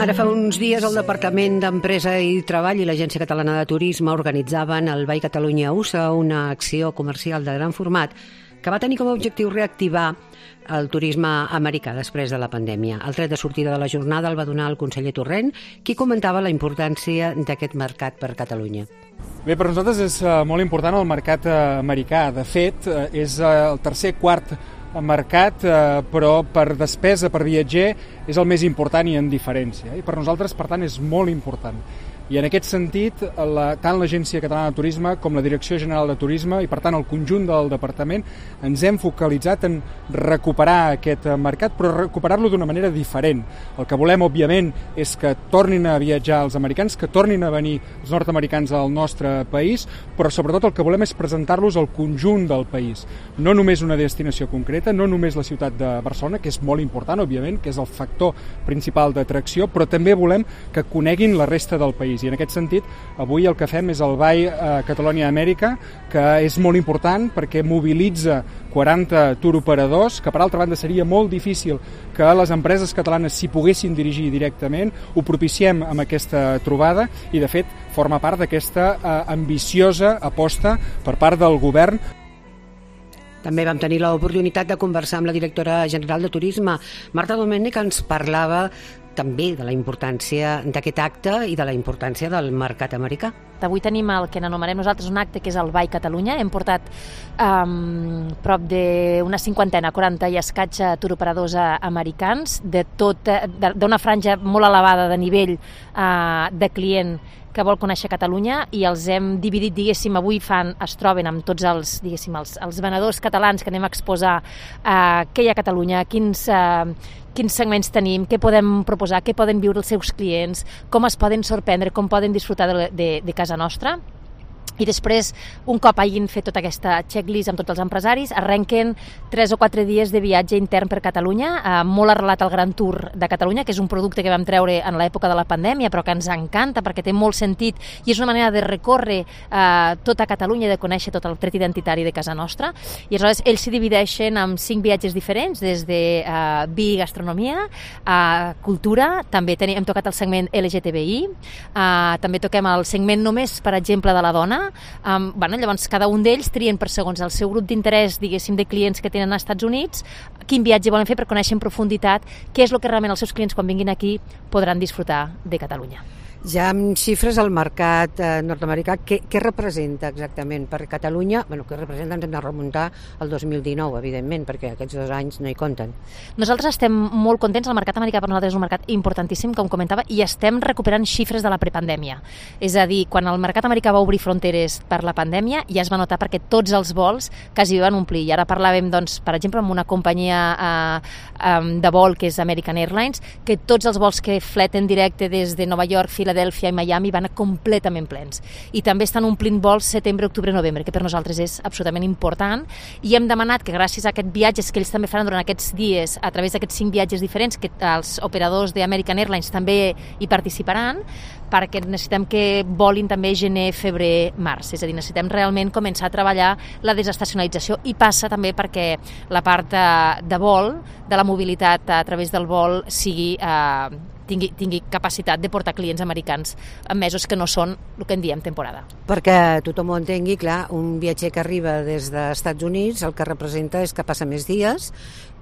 Ara fa uns dies el Departament d'Empresa i Treball i l'Agència Catalana de Turisme organitzaven el Buy Catalunya USA, una acció comercial de gran format que va tenir com a objectiu reactivar el turisme americà després de la pandèmia. El tret de sortida de la jornada el va donar el conseller Torrent, qui comentava la importància d'aquest mercat per Catalunya. Bé, per nosaltres és molt important el mercat americà. De fet, és el quart mercat, però per despesa, per viatger, és el més important i en diferència. I per nosaltres, per tant, és molt important. I en aquest sentit, tant l'Agència Catalana de Turisme com la Direcció General de Turisme i, per tant, el conjunt del departament ens hem focalitzat en recuperar aquest mercat, però recuperar-lo d'una manera diferent. El que volem, òbviament, és que tornin a viatjar els americans, que tornin a venir els nord-americans al nostre país, però sobretot el que volem és presentar-los al conjunt del país. No només una destinació concreta, no només la ciutat de Barcelona, que és molt important, òbviament, que és el factor principal d'atracció, però també volem que coneguin la resta del país. I en aquest sentit, avui el que fem és el Buy Catalunya Amèrica, que és molt important perquè mobilitza 40 turoperadors, que per altra banda seria molt difícil que les empreses catalanes s'hi poguessin dirigir directament. Ho propiciem amb aquesta trobada i, de fet, forma part d'aquesta ambiciosa aposta per part del govern. També vam tenir l'oportunitat de conversar amb la directora general de Turisme, Marta Domènech, que ens parlava també de la importància d'aquest acte i de la importància del mercat americà. Avui tenim el que anomenem nosaltres un acte que és el Buy Catalunya. Hem portat prop d'una 50, 40 i escaig turoperadors americans d'una franja molt elevada de nivell de client que vol conèixer Catalunya, i els hem dividit, diguéssim, avui es troben amb tots els venedors catalans que anem a exposar què hi ha a Catalunya, quins segments tenim, què podem proposar, què poden viure els seus clients, com es poden sorprendre, com poden disfrutar de casa nostra. I després, un cop hagin fet tota aquesta checklist amb tots els empresaris, arrenquen 3 o 4 dies de viatge intern per Catalunya, molt arrelat al Gran Tour de Catalunya, que és un producte que vam treure en l'època de la pandèmia, però que ens encanta perquè té molt sentit i és una manera de recórrer tota Catalunya i de conèixer tot el tret identitari de casa nostra. I aleshores ells s'hi divideixen en 5 viatges diferents, des de vi i gastronomia, cultura, també hem tocat el segment LGTBI, també toquem el segment només, per exemple, de la dona. Llavors cada un d'ells trien per segons el seu grup d'interès, diguéssim, de clients que tenen als Estats Units, quin viatge volen fer per conèixer en profunditat què és el que realment els seus clients quan vinguin aquí podran disfrutar de Catalunya. Ja amb xifres al mercat nord-americà, què representa exactament per Catalunya? Què representa ens hem de remuntar al 2019, evidentment, perquè aquests 2 anys no hi compten. Nosaltres estem molt contents, el mercat americà per nosaltres és un mercat importantíssim, com comentava, i estem recuperant xifres de la prepandèmia. És a dir, quan el mercat americà va obrir fronteres per la pandèmia, ja es va notar perquè tots els vols quasi van omplir. I ara parlàvem, doncs, per exemple, amb una companyia de vol que és American Airlines, que tots els vols que fleten directe des de Nova York, Filadèlfia i Miami van completament plens. I també estan omplint vols setembre, octubre, novembre, que per nosaltres és absolutament important, i hem demanat que gràcies a aquests viatges que ells també faran durant aquests dies, a través d'aquests 5 viatges diferents, que els operadors d'American Airlines també hi participaran, perquè necessitem que volin també gener, febrer, març. És a dir, necessitem realment començar a treballar la desestacionalització, i passa també perquè la part de vol, de la mobilitat a través del vol, tingui capacitat de portar clients americans en mesos que no són el que en diem temporada. Perquè tothom ho entengui, clar, un viatger que arriba des dels Estats Units el que representa és que passa més dies.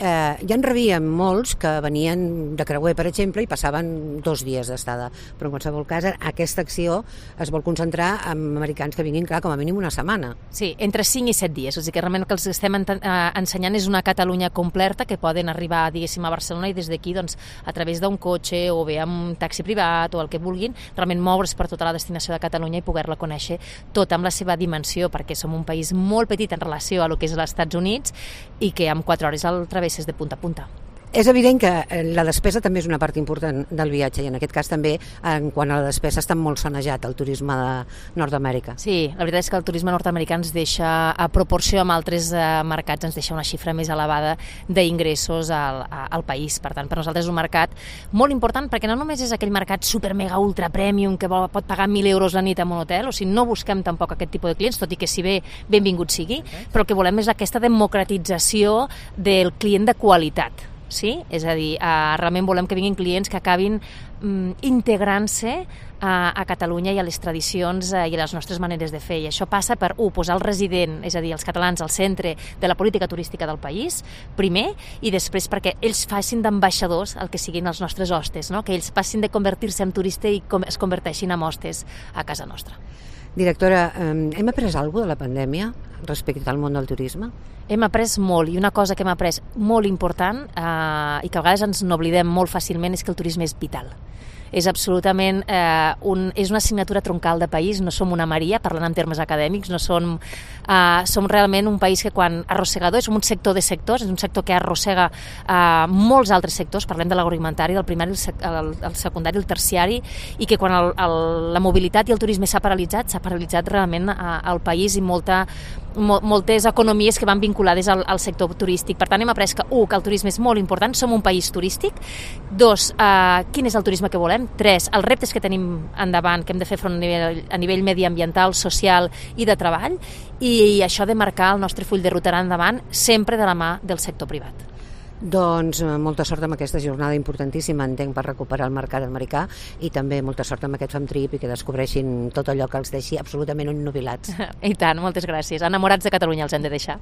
Ja en rebíem molts que venien de creuer, per exemple, i passaven 2 dies d'estada. Però en qualsevol cas, aquesta acció es vol concentrar en americans que vinguin, clar, com a mínim una setmana. Sí, entre 5 i 7 dies. O sigui que realment el que els estem ensenyant és una Catalunya completa, que poden arribar, diguéssim, a Barcelona i des d'aquí, doncs, a través d'un cotxe o bé amb un taxi privat o el que vulguin, realment moure's per tota la destinació de Catalunya i poder-la conèixer tota amb la seva dimensió, perquè som un país molt petit en relació a lo que és els Estats Units i que en 4 hores el travesses de punta a punta. És evident que la despesa també és una part important del viatge, i en aquest cas també, en quant a la despesa, està molt sanejat el turisme de Nord-Amèrica. Sí, la veritat és que el turisme nord-americà ens deixa, a proporció amb altres mercats, ens deixa una xifra més elevada d'ingressos al país. Per tant, per nosaltres és un mercat molt important, perquè no només és aquell mercat super mega ultra premium que pot pagar 1.000 euros la nit en un hotel, o sigui, no busquem tampoc aquest tipus de clients, tot i que si bé benvingut sigui, però el que volem és aquesta democratització del client de qualitat. Sí? És a dir, realment volem que vinguin clients que acabin integrant-se a Catalunya i a les tradicions i a les nostres maneres de fer. I això passa per, posar el resident, és a dir, els catalans al centre de la política turística del país, primer, i després perquè ells facin d'ambaixadors el que siguin els nostres hostes, no? Que ells passin de convertir-se en turista i es converteixin en hostes a casa nostra. Directora, hem après alguna cosa de la pandèmia respecte al món del turisme? Hem après molt, i una cosa que hem après molt important i que a vegades ens n'oblidem molt fàcilment és que el turisme és vital. És absolutament és una assignatura troncal de país, no som una Maria, parlant en termes acadèmics, no som realment un país que quan arrossegador, és un sector de sectors, és un sector que arrossega molts altres sectors, parlem de l'agroalimentari, del primari, el secundari, el terciari, i que quan la mobilitat i el turisme s'ha paralitzat realment al país i moltes economies que van vinculades al sector turístic. Per tant, hem après que, que el turisme és molt important, som un país turístic. 2, quin és el turisme que volem? 3, els reptes que tenim endavant, que hem de fer front a nivell mediambiental, social i de treball, i això de marcar el nostre full de ruta endavant sempre de la mà del sector privat. Doncs molta sort amb aquesta jornada importantíssima, entenc, per recuperar el mercat americà, i també molta sort amb aquest FAMTrip i que descobreixin tot allò que els deixi absolutament ennubilats. I tant, moltes gràcies. Enamorats de Catalunya els hem de deixar.